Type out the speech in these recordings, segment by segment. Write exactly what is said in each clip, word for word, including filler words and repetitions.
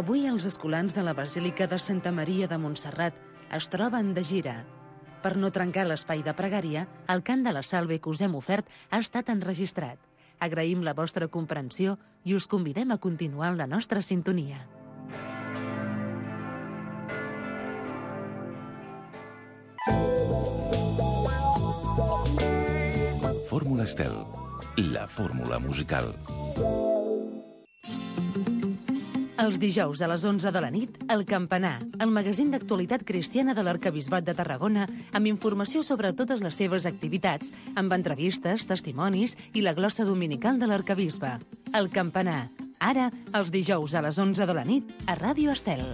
Avui els escolans de la Basílica de Santa Maria de Montserrat es troben de gira. Per no trencar l'espai de pregària, el cant de la Salve que us hem ofert ha estat enregistrat. Agraïm la vostra comprensió i us convidem a continuar en la nostra sintonia. Fórmula Estel, la fórmula musical. Els dijous a les onze de la nit, El Campanar, el magazín d'actualitat cristiana de l'Arquebisbat de Tarragona, amb informació sobre totes les seves activitats, amb entrevistes, testimonis i la glossa dominical de l'Arquebisbe. El Campanar, ara, els dijous a les onze de la nit, a Ràdio Estel.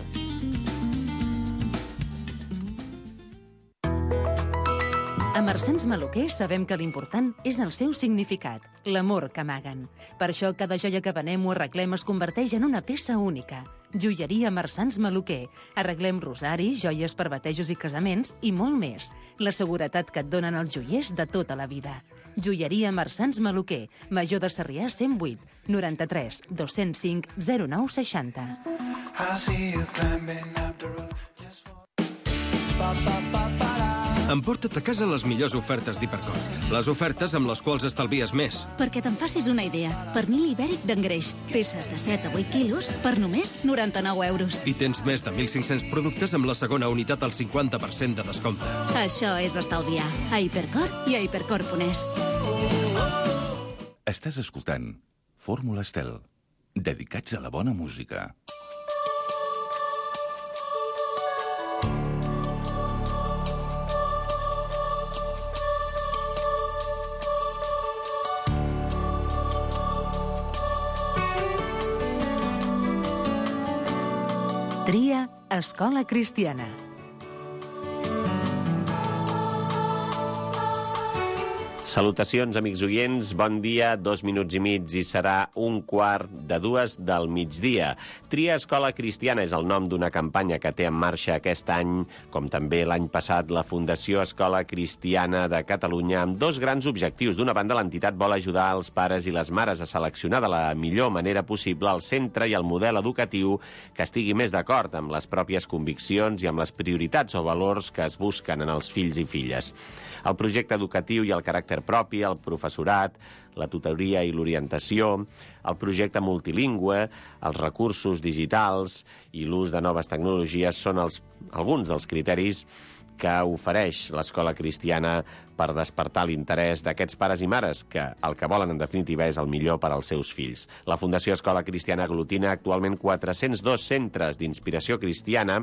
A Marsans Maluquer sabem que l'important és el seu significat, l'amor que amaguen. Per això cada joia que venem o arreglem es converteix en una peça única. Joieria Marsans Maluquer. Arreglem rosaris, joies per batejos i casaments i molt més. La seguretat que et donen els joiers de tota la vida. Joieria Marsans Maluquer. Major de Sarrià cent vuit, noranta-tres, dos-cents cinc, zero nou seixanta. Emporta't a casa les millors ofertes d'Hipercor. Les ofertes amb les quals estalvies més. Perquè te'n facis una idea, pernil ibèric d'engreix, peces de set a vuit quilos per només noranta-nou euros. I tens més de mil cinc-cents productes amb la segona unitat al cinquanta per cent de descompte. Això és estalviar. A Hipercor i a hipercor punt es. Estàs escoltant Fórmula Estel, dedicats a la bona música. Tria Escola Cristiana. Salutacions, amics oients. Bon dia, dos minuts i mig i serà un quart de dues del migdia. Tria Escola Cristiana és el nom d'una campanya que té en marxa aquest any, com també l'any passat, la Fundació Escola Cristiana de Catalunya, amb dos grans objectius. D'una banda, l'entitat vol ajudar els pares i les mares a seleccionar de la millor manera possible el centre i el model educatiu que estigui més d'acord amb les pròpies conviccions i amb les prioritats o valors que es busquen en els fills i filles. El projecte educatiu i el caràcter propi, el professorat, la tutoria i l'orientació, el projecte multilingüe, els recursos digitals i l'ús de noves tecnologies són els, alguns dels criteris que ofereix l'Escola Cristiana per despertar l'interès d'aquests pares i mares, que el que volen, en definitiva, és el millor per als seus fills. La Fundació Escola Cristiana aglutina actualment quatre-cents dos centres d'inspiració cristiana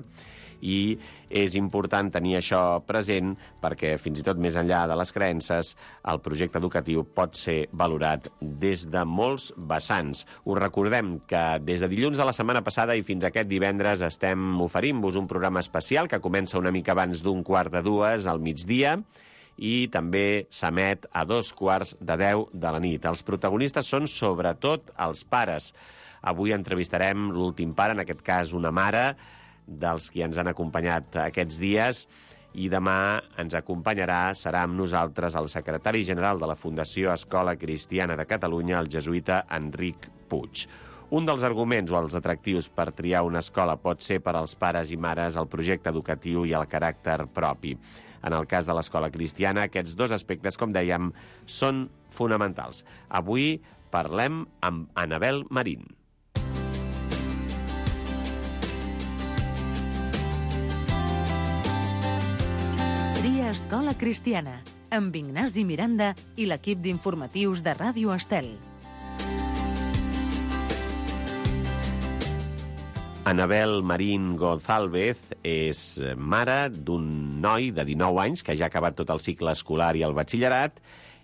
i és important tenir això present perquè, fins i tot més enllà de les creences, el projecte educatiu pot ser valorat des de molts vessants. Us recordem que des de dilluns de la setmana passada i fins aquest divendres estem oferint-vos un programa especial que comença una mica abans d'un quart de dues al migdia i també s'emet a dos quarts de deu de la nit. Els protagonistes són sobretot els pares. Avui entrevistarem l'últim pare, en aquest cas una mare, dels qui ens han acompanyat aquests dies, i demà ens acompanyarà, serà amb nosaltres el secretari general de la Fundació Escola Cristiana de Catalunya, el jesuïta Enric Puig. Un dels arguments o els atractius per triar una escola pot ser per als pares i mares el projecte educatiu i el caràcter propi. En el cas de l'Escola Cristiana, aquests dos aspectes, com dèiem, són fonamentals. Avui parlem amb Anabel Marín. Tria Escola Cristiana, amb Ignasi Miranda i l'equip d'informatius de Ràdio Estel. Anabel Marín Gonzálvez és mare d'un noi de dinou anys que ja ha acabat tot el cicle escolar i el batxillerat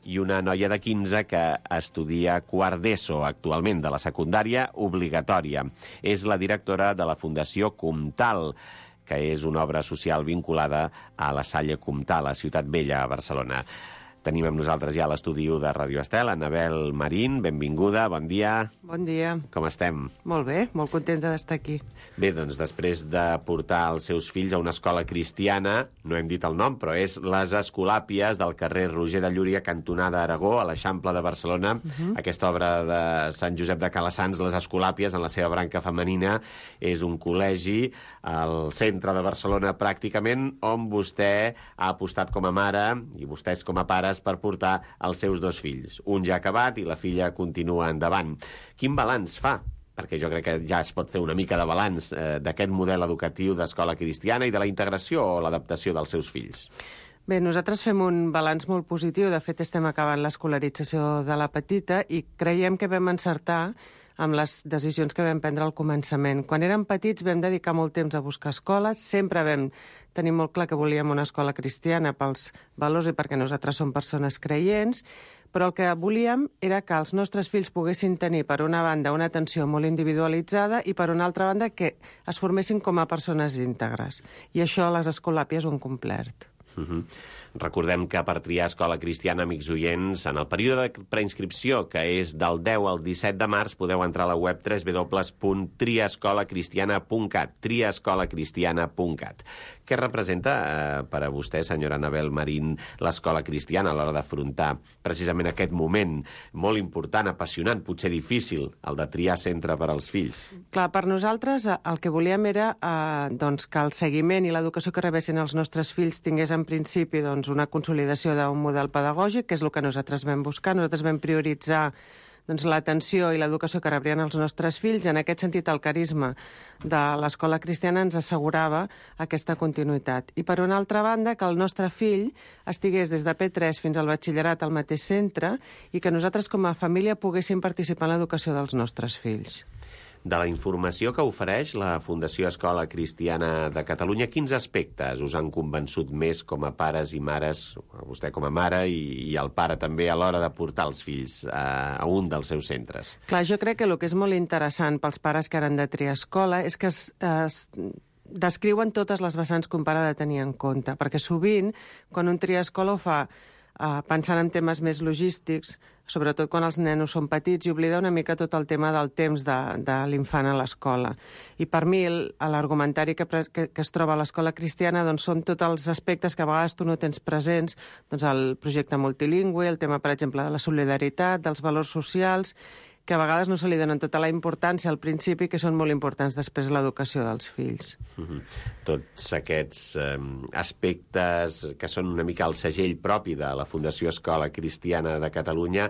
i una noia de quinze que estudia quart d'ESO actualment, de la secundària obligatòria. És la directora de la Fundació Comtal, que és una obra social vinculada a la Salle Comtal, a Ciutat Vella, a Barcelona. Tenim amb nosaltres ja a l'estudi u de Ràdio Estel, Anabel Marín, benvinguda, bon dia. Bon dia. Com estem? Molt bé, molt contenta d'estar aquí. Bé, doncs després de portar els seus fills a una escola cristiana, no hem dit el nom, però és les Escolàpies del carrer Roger de Llúria, cantonada Aragó, a l'Eixample de Barcelona. Uh-huh. Aquesta obra de Sant Josep de Calassanç, les Escolàpies, en la seva branca femenina, és un col·legi al centre de Barcelona pràcticament, on vostè ha apostat com a mare i vostès com a pares per portar els seus dos fills. Un ja ha acabat i la filla continua endavant. Quin balanç fa? Perquè jo crec que ja es pot fer una mica de balanç eh, d'aquest model educatiu d'escola cristiana i de la integració o l'adaptació dels seus fills. Bé, nosaltres fem un balanç molt positiu. De fet, estem acabant l'escolarització de la petita i creiem que vam encertar amb les decisions que vam prendre al començament. Quan érem petits vam dedicar molt temps a buscar escoles, sempre vam tenir molt clar que volíem una escola cristiana pels valors i perquè nosaltres som persones creients, però el que volíem era que els nostres fills poguessin tenir, per una banda, una atenció molt individualitzada i, per una altra banda, que es formessin com a persones íntegres. I això les Escolàpies ho han complert. Uh-huh. Recordem que per triar escola cristiana, amics oients, en el període de preinscripció, que és del deu al disset de març, podeu entrar a la web w w w punt tria escola cristiana punt cat, tria escola cristiana punt cat. Què representa eh, per a vostè, senyora Anabel Marín, l'escola cristiana a l'hora d'afrontar precisament aquest moment molt important, apassionant, potser difícil, el de triar centre per als fills? Clar, per nosaltres el que volíem era eh, doncs, que el seguiment i l'educació que rebessin els nostres fills tingués en principi doncs, una consolidació d'un model pedagògic, que és el que nosaltres vam buscar. Nosaltres vam prioritzar doncs, l'atenció i l'educació que rebrien els nostres fills. En aquest sentit, el carisma de l'escola cristiana ens assegurava aquesta continuïtat. I, per una altra banda, que el nostre fill estigués des de P tres fins al batxillerat al mateix centre i que nosaltres, com a família, poguéssim participar en l'educació dels nostres fills. De la informació que ofereix la Fundació Escola Cristiana de Catalunya, quins aspectes us han convençut més com a pares i mares, vostè com a mare i, i el pare també, a l'hora de portar els fills a, a un dels seus centres? Clar, jo crec que el que és molt interessant pels pares que ara han de triar escola és que es, es descriuen totes les vessants que un pare ha de tenir en compte, perquè sovint, quan un tria escola ho fa Uh, pensant en temes més logístics, sobretot quan els nenos són petits, i oblida una mica tot el tema del temps de, de l'infant a l'escola. I per mi l'argumentari que, que, que es troba a l'escola cristiana doncs, són tots els aspectes que a vegades tu no tens presents, doncs el projecte multilingüe, el tema, per exemple, de la solidaritat, dels valors socials, que a vegades no se li donen tota la importància al principi, que són molt importants després l'educació dels fills. Uh-huh. Tots aquests eh, aspectes que són una mica el segell propi de la Fundació Escola Cristiana de Catalunya,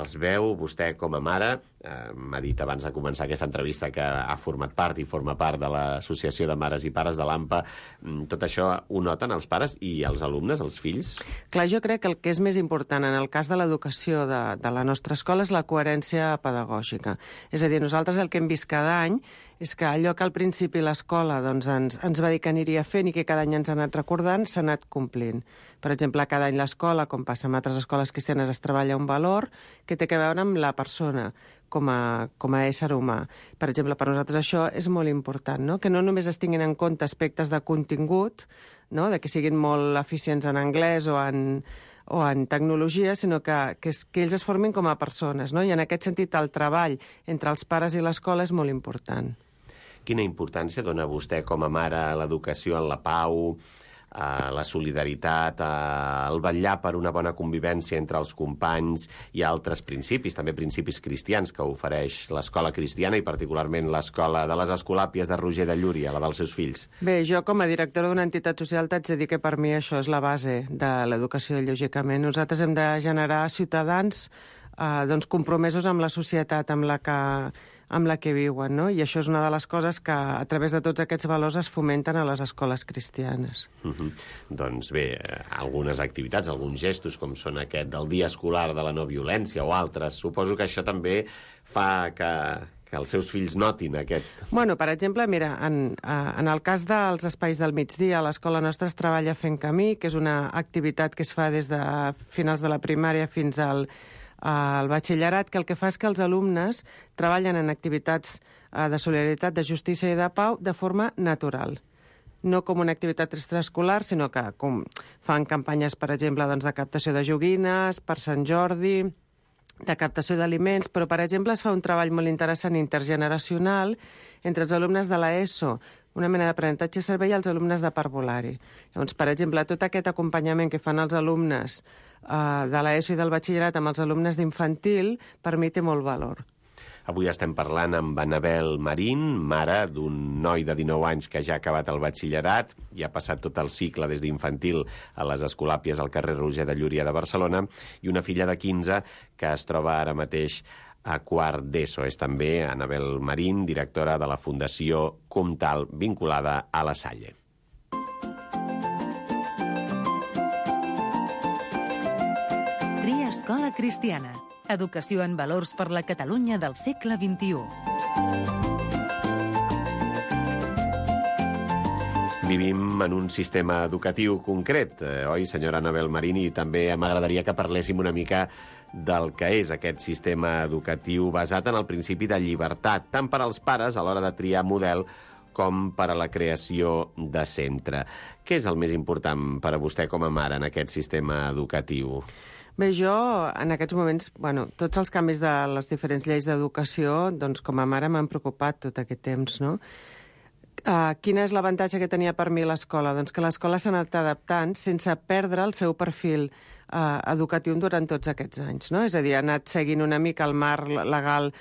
els veu vostè com a mare. Eh, m'ha dit abans de començar aquesta entrevista que ha format part i forma part de l'Associació de Mares i Pares de l'A M P A. Tot això ho noten els pares i els alumnes, els fills? Clar, jo crec que el que és més important en el cas de l'educació de, de la nostra escola és la coherència pedagògica. És a dir, nosaltres el que hem vist cada any és que allò que al principi l'escola doncs, ens, ens va dir que aniria fent i que cada any ens ha anat recordant, s'ha anat complint. Per exemple, cada any l'escola, com passa en altres escoles cristianes, es treballa un valor que té a veure amb la persona com a, com a ésser humà. Per exemple, per nosaltres això és molt important, no? Que no només es tinguin en compte aspectes de contingut, no? De que siguin molt eficients en anglès o en, o en tecnologia, sinó que, que, es, que ells es formin com a persones, no? I en aquest sentit el treball entre els pares i l'escola és molt important. Quina importància dona vostè com a mare a l'educació en la pau, a la solidaritat, al vetllar per una bona convivència entre els companys i altres principis, també principis cristians que ofereix l'escola cristiana i particularment l'escola de les Escolàpies de Roger de Llúria, la dels seus fills? Bé, jo com a directora d'una entitat social t'haig de dir que per mi això és la base de l'educació, lògicament. Nosaltres hem de generar ciutadans eh, doncs, compromesos amb la societat amb la que amb la que viuen, no? I això és una de les coses que a través de tots aquests valors es fomenten a les escoles cristianes. Uh-huh. Doncs bé, algunes activitats, alguns gestos, com són aquest del Dia Escolar de la No Violència o altres, suposo que això també fa que, que els seus fills notin aquest... Bueno, per exemple, mira, en, en el cas dels espais del migdia, a l'escola nostra es treballa Fent Camí, que és una activitat que es fa des de finals de la primària fins al al batxillerat, que el que fa és que els alumnes treballen en activitats de solidaritat, de justícia i de pau de forma natural. no com una activitat extraescolar, sinó que com fan campanyes, per exemple, doncs, de captació de joguines, per Sant Jordi, de captació d'aliments, però, per exemple, es fa un treball molt interessant intergeneracional entre els alumnes de l'ESO, una mena d'aprenentatge servei als alumnes de parvulari. Llavors, per exemple, tot aquest acompanyament que fan els alumnes eh, de l'ESO i del batxillerat amb els alumnes d'infantil, per mi té molt valor. Avui estem parlant amb Anabel Marín, mare d'un noi de dinou anys que ja ha acabat el batxillerat i ha passat tot el cicle des d'infantil a les Escolàpies al carrer Roger de Llúria de Barcelona, i una filla de quinze que es troba ara mateix a quart d'ESO. És també Anabel Marín, directora de la Fundació Comtal, vinculada a la Salle. Tria Escola Cristiana. Educació en valors per la Catalunya del segle vint-i-u. Vivim en un sistema educatiu concret, eh, oi, senyora Anabel Marín? I també m'agradaria que parléssim una mica del que és aquest sistema educatiu basat en el principi de llibertat, tant per als pares a l'hora de triar model com per a la creació de centre. Què és el més important per a vostè com a mare en aquest sistema educatiu? Bé, jo, en aquests moments, bueno, tots els canvis de les diferents lleis d'educació, doncs, com a mare m'han preocupat tot aquest temps, no? Uh, quin és l'avantatge que tenia per mi l'escola? Doncs que l'escola s'ha anat adaptant sense perdre el seu perfil uh, educatiu durant tots aquests anys, no? És a dir, ha anat seguint una mica el marc legal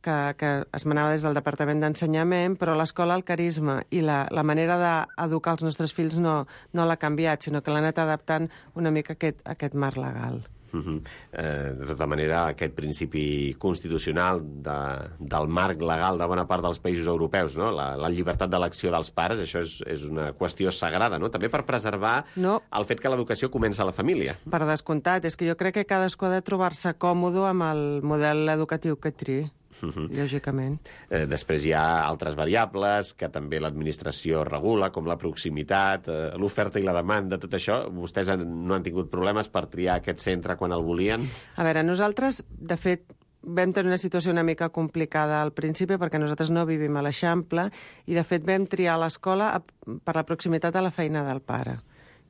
que, que es manava des del Departament d'Ensenyament, però l'escola, el carisma i la, la manera d'educar els nostres fills no, no l'ha canviat, sinó que l'ha anat adaptant una mica a aquest, a aquest marc legal. Uh -huh. eh, de tota manera, aquest principi constitucional de, del marc legal de bona part dels països europeus, no? la, la llibertat d'elecció dels pares, això és, és una qüestió sagrada, no? També per preservar no. el fet que l'educació comença a la família. Per descomptat, és que jo crec que cadascú ha de trobar-se còmode amb el model educatiu que triï. Uh -huh. Lògicament. Eh, després hi ha altres variables que també l'administració regula, com la proximitat, eh, l'oferta i la demanda, tot això. Vostès han, no han tingut problemes per triar aquest centre quan el volien? A veure, nosaltres, de fet, vam tenir una situació una mica complicada al principi perquè nosaltres no vivim a l'Eixample i, de fet, vam triar l'escola per la proximitat a la feina del pare,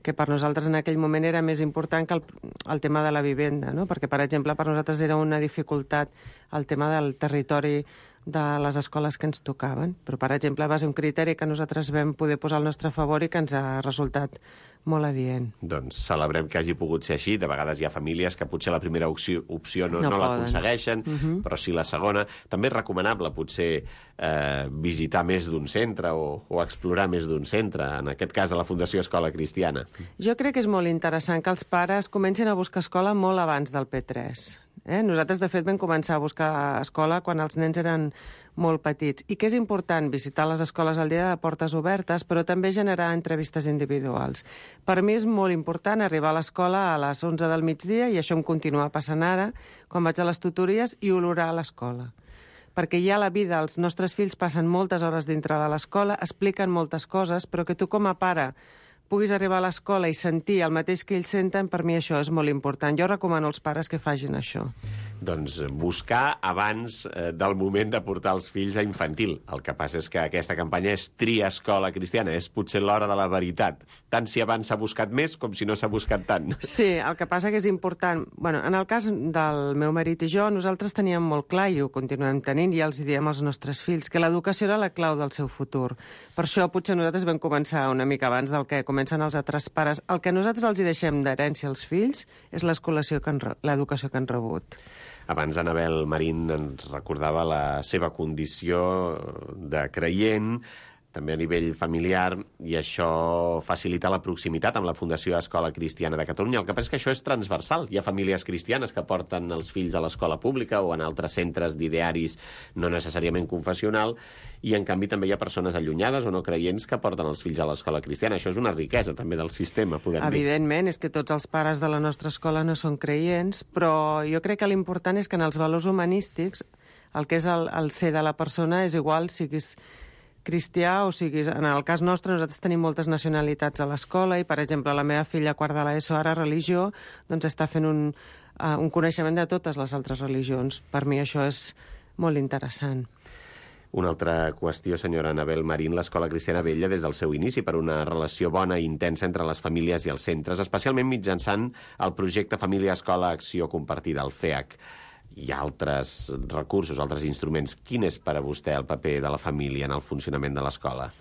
que per nosaltres en aquell moment era més important que el, el tema de la vivenda, no? Perquè, per exemple, per nosaltres era una dificultat el tema del territori de les escoles que ens tocaven. Però, per exemple, va ser un criteri que nosaltres vam poder posar al nostre favor i que ens ha resultat molt adient. Doncs celebrem que hagi pogut ser així. De vegades hi ha famílies que potser la primera opció, opció no, no, no l'aconsegueixen, uh -huh. però sí la segona. També és recomanable potser eh, visitar més d'un centre o, o explorar més d'un centre, en aquest cas a la Fundació Escola Cristiana. Jo crec que és molt interessant que els pares comencin a buscar escola molt abans del P tres. Eh? Nosaltres, de fet, vam començar a buscar escola quan els nens eren molt petits. I que és important visitar les escoles al dia de portes obertes, però també generar entrevistes individuals. Per mi és molt important arribar a l'escola a les onze del migdia, i això em continua passant ara, quan vaig a les tutories, i olorar a l'escola. Perquè ja a la vida els nostres fills passen moltes hores dintre de l'escola, expliquen moltes coses, però que tu com a pare puguis arribar a l'escola i sentir el mateix que ells senten, per mi això és molt important. Jo recomano als pares que facin això. Doncs buscar abans eh, del moment de portar els fills a infantil. El que passa és que aquesta campanya és Tria Escola Cristiana, és potser l'hora de la veritat. Tant si abans s'ha buscat més com si no s'ha buscat tant. Sí, el que passa que és important. Bueno, en el cas del meu marit i jo, nosaltres teníem molt clar, i ho continuem tenint, i els diem als nostres fills, que l'educació era la clau del seu futur. Per això potser nosaltres vam començar una mica abans del que comencen els altres pares. El que nosaltres els hi deixem d'herència als fills és l'educació que, l'educació que han rebut. Abans Anabel Marín ens recordava la seva condició de creient, també a nivell familiar, i això facilita la proximitat amb la Fundació Escola Cristiana de Catalunya. El que passa és que això és transversal. Hi ha famílies cristianes que porten els fills a l'escola pública o en altres centres d'idearis no necessàriament confessional, i en canvi també hi ha persones allunyades o no creients que porten els fills a l'escola cristiana. Això és una riquesa també del sistema, podem dir. Evidentment, és que tots els pares de la nostra escola no són creients, però jo crec que l'important és que en els valors humanístics el que és el, el ser de la persona és igual, siguis cristià o siguis... En el cas nostre, nosaltres tenim moltes nacionalitats a l'escola i, per exemple, la meva filla a quart de l'ESO, ara religió, doncs està fent un, uh, un coneixement de totes les altres religions. Per mi això és molt interessant. Una altra qüestió, senyora Anabel Marín, l'Escola Cristiana vetlla des del seu inici per una relació bona i intensa entre les famílies i els centres, especialment mitjançant el projecte Família Escola Acció Compartida, el F E A C. Hi ha altres recursos, altres instruments. Quin és per a vostè el paper de la família en el funcionament de l'escola?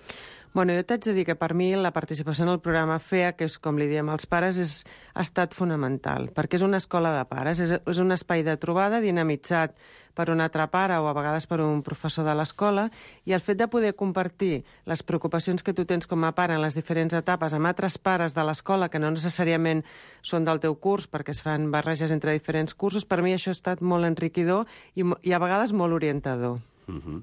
Bueno, jo t'haig de dir que per mi la participació en el programa F E A, que és com li diem als pares, és, ha estat fonamental, perquè és una escola de pares, és, és un espai de trobada dinamitzat per un altre pare o a vegades per un professor de l'escola, i el fet de poder compartir les preocupacions que tu tens com a pare en les diferents etapes amb altres pares de l'escola que no necessàriament són del teu curs, perquè es fan barreges entre diferents cursos, per mi això ha estat molt enriquidor i, i a vegades molt orientador. Mhm.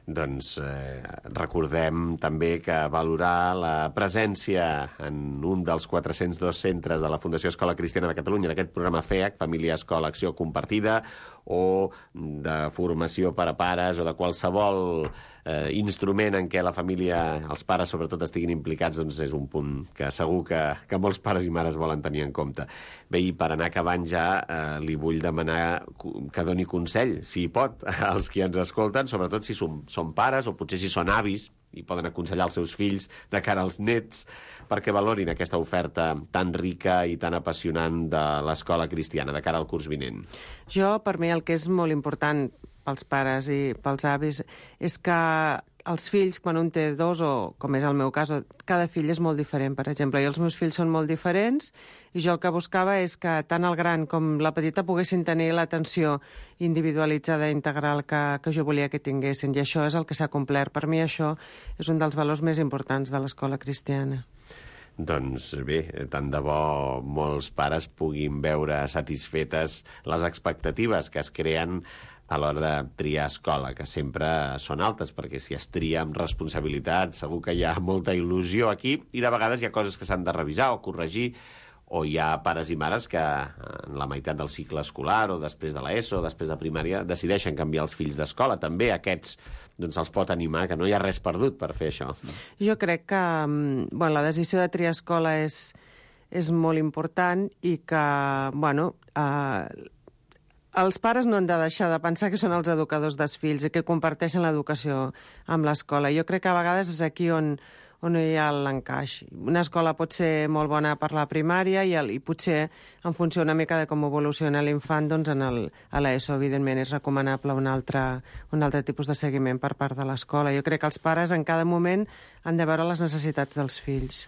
Doncs eh, recordem també que valorar la presència en un dels quatre-cents dos centres de la Fundació Escola Cristiana de Catalunya d'aquest programa F E A C, Família Escola Acció Compartida, o de formació per a pares o de qualsevol eh, instrument en què la família, els pares sobretot, estiguin implicats, doncs és un punt que segur que, que molts pares i mares volen tenir en compte. Bé, i per anar acabant ja, eh, li vull demanar que doni consell, si hi pot, als qui ens escolten, sobretot si som, són pares o potser si són avis i poden aconsellar els seus fills de cara als nets perquè valorin aquesta oferta tan rica i tan apassionant de l'escola cristiana de cara al curs vinent. Jo, per mi, el que és molt important pels pares i pels avis és que els fills, quan un té dos, o com és el meu cas, cada fill és molt diferent, per exemple. Jo els meus fills són molt diferents i jo el que buscava és que tant el gran com la petita poguessin tenir l'atenció individualitzada i integral que, que jo volia que tinguessin, i això és el que s'ha complert. Per mi això és un dels valors més importants de l'escola cristiana. Doncs bé, tant de bo molts pares puguin veure satisfetes les expectatives que es creen a l'hora de triar escola, que sempre són altes, perquè si es tria amb responsabilitat segur que hi ha molta il·lusió aquí, i de vegades hi ha coses que s'han de revisar o corregir, o hi ha pares i mares que en la meitat del cicle escolar o després de l'ESO o després de primària decideixen canviar els fills d'escola. També aquests doncs, els pot animar, que no hi ha res perdut per fer això. Jo crec que bueno, la decisió de triar escola és, és molt important i que, bueno, eh, els pares no han de deixar de pensar que són els educadors dels fills i que comparteixen l'educació amb l'escola. Jo crec que a vegades és aquí on, on hi ha l'encaix. Una escola pot ser molt bona per la primària i, el, i potser, en funció una mica de com evoluciona l'infant, doncs en el, a l'ESO, evidentment, és recomanable un altre, un altre tipus de seguiment per part de l'escola. Jo crec que els pares en cada moment han de veure les necessitats dels fills.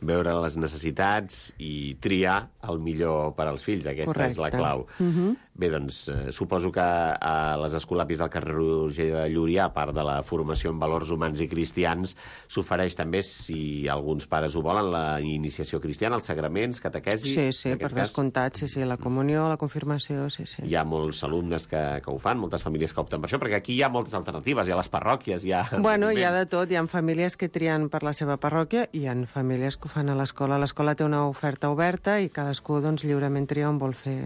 Veure les necessitats i triar el millor per als fills. Aquesta Correcte. És la clau. Uh-huh. Bé, doncs, eh, suposo que a les escolapis del carrer Roger de Llúria, a part de la formació en valors humans i cristians, s'ofereix també, si alguns pares ho volen, la iniciació cristiana, els sagraments, catequesi... Sí, sí, per descomptat, sí, sí, la comunió, la confirmació, sí, sí. Hi ha molts alumnes que, que ho fan, moltes famílies que opten per això, perquè aquí hi ha moltes alternatives, hi ha les parròquies, hi ha... Bueno, hi ha de tot, hi ha famílies que trien per la seva parròquia i hi ha famílies que ho fan a l'escola. L'escola té una oferta oberta i cadascú doncs, lliurement tria on vol fer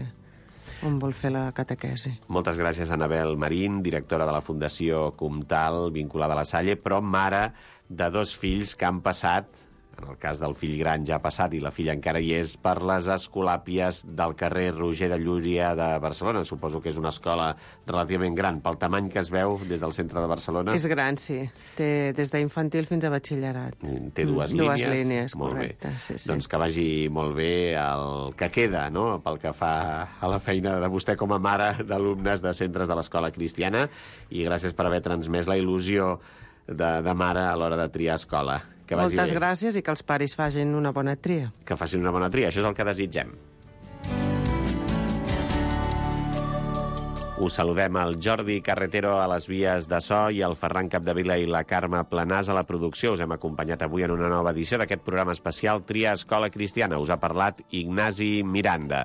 on vol fer la catequesi. Moltes gràcies, Anabel Marín, directora de la Fundació Comtal, vinculada a la Salle, però mare de dos fills que han passat, en el cas del fill gran ja ha passat i la filla encara hi és, per les escolàpies del carrer Roger de Llúria de Barcelona. Suposo que és una escola relativament gran, pel tamany que es veu des del centre de Barcelona. És gran, sí. Té des d'infantil fins a batxillerat. Té dues mm, línies. Dues línies, molt correcte. Bé. Sí, sí. Doncs que vagi molt bé el que queda, no?, pel que fa a la feina de vostè com a mare d'alumnes de centres de l'escola cristiana, i gràcies per haver transmès la il·lusió de, de mare a l'hora de triar escola. Que vagi Moltes bé. gràcies i que els pares facin una bona tria. Que facin una bona tria, això és el que desitgem. Us saludem al Jordi Carretero a les vies de so i al Ferran Capdevila i la Carme Planàs a la producció. Us hem acompanyat avui en una nova edició d'aquest programa especial Tria Escola Cristiana. Us ha parlat Ignasi Miranda.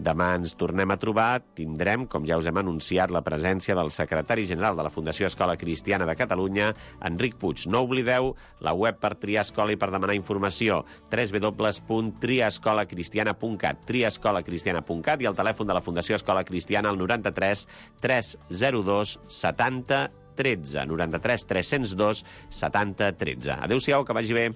Demà ens tornem a trobar. Tindrem, com ja us hem anunciat, la presència del secretari general de la Fundació Escola Cristiana de Catalunya, Enric Puig. No oblideu la web per triar escola i per demanar informació, w w w punt tria escola cristiana punt cat, tria escola cristiana punt cat, i el telèfon de la Fundació Escola Cristiana, el noranta-tres tres zero dos setanta tretze, noranta-tres tres zero dos setanta tretze. Adéu-siau, que vagi bé.